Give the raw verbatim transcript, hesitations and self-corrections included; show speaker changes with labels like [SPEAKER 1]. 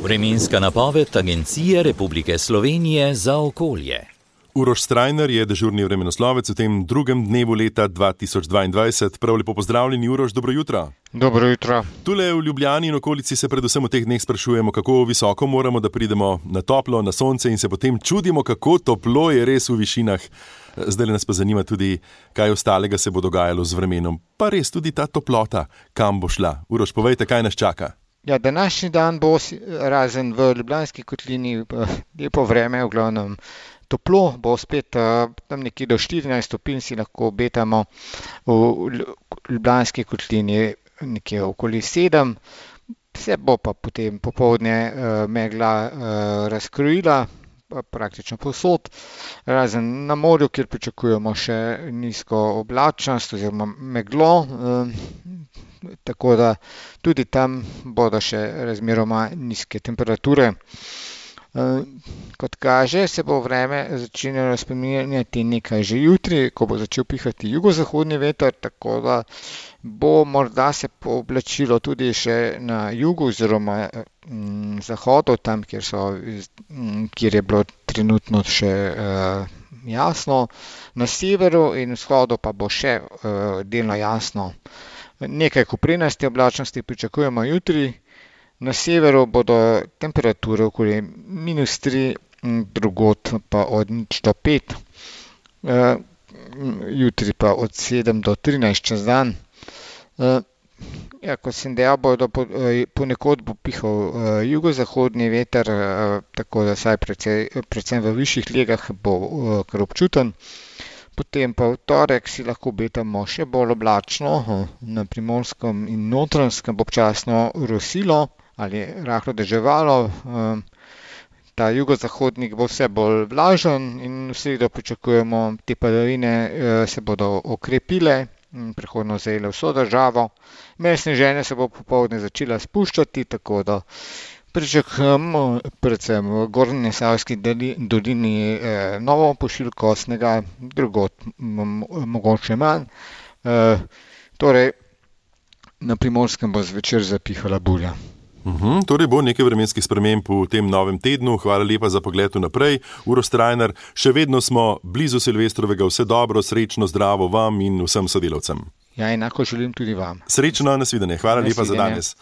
[SPEAKER 1] Vremenska napoved Agencije Republike Slovenije za okolje.
[SPEAKER 2] Uroš Strajnar je dežurni vremenoslovec v tem drugem dnevu leta dva tisoč dvaindvajset. Prav lepo pozdravljeni, Uroš, dobro jutro.
[SPEAKER 3] Dobro jutro.
[SPEAKER 2] Tule v Ljubljani in okolici se predvsem v teh dneh sprašujemo, kako visoko moramo, da pridemo na toplo, na sonce in se potem čudimo, kako toplo je res v višinah. Zdaj nas pa zanima tudi, kaj ostalega se bo dogajalo z vremenom. Pa res tudi ta toplota, kam bo šla. Uroš, povejte, kaj nas čaka.
[SPEAKER 3] Ja, današnji dan bo razen v Ljubljanski kotlini lepo vreme, v glavnem toplo, bo spet tam nekje do štirinajst stopinj si lahko obetamo, v Ljubljanski kotlini nekje okoli sedem, se bo pa potem popoldne megla razkrojila, praktično povsod, razen na morju, kjer pričakujemo še nizko oblačnost oziroma meglo, tako da tudi tam bodo še razmeroma nizke temperature. Kot kaže, se bo vreme začenjalo spreminjati nekaj že jutri, ko bo začel pihati jugozahodni veter, tako da bo morda se pooblačilo tudi še na jugu oziroma m, zahodu, tam, kjer, so, m, kjer je bilo trenutno še uh, jasno. Na severu in vzhodu pa bo še uh, delno jasno. Nekaj koprenaste oblačnosti pričakujemo jutri. Na severu bodo temperature okoli minus tri, drugod pa od nič do pet, uh, jutri pa od sedem do trinajst čez dan. Uh, ja, kot sem dejal, bodo po, uh, ponekod bo pihal uh, jugozahodni veter, uh, tako da saj precej, predvsem v višjih legah bo uh, kar občuten. Potem pa v torek si lahko obetamo še bolj oblačno, na Primorskem in Notranjskem bo občasno rosilo ali rahlo deževalo. Ta jugozahodnik bo vse bolj vlažen in v sredo pričakujemo, te padavine se bodo okrepile in prehodno zajele vso državo. Meje sneženja se bo popoldne začela spuščati, tako da pričakujemo predvsem v Gornji Savski dolini eh, novo pošiljko snega, drugod mogoče manj. Eh, torej, na Primorskem bo zvečer zapihala burja.
[SPEAKER 2] Uhum, torej bo nekaj vremenskih sprememb v tem novem tednu. Hvala lepa za pogled vnaprej. Uroš Strajnar, še vedno smo blizu Silvestrovega. Vse dobro, srečno, zdravo vam in vsem sodelavcem.
[SPEAKER 3] Ja, enako želim tudi vam.
[SPEAKER 2] Srečno, nasvidenje. Hvala lepa za danes.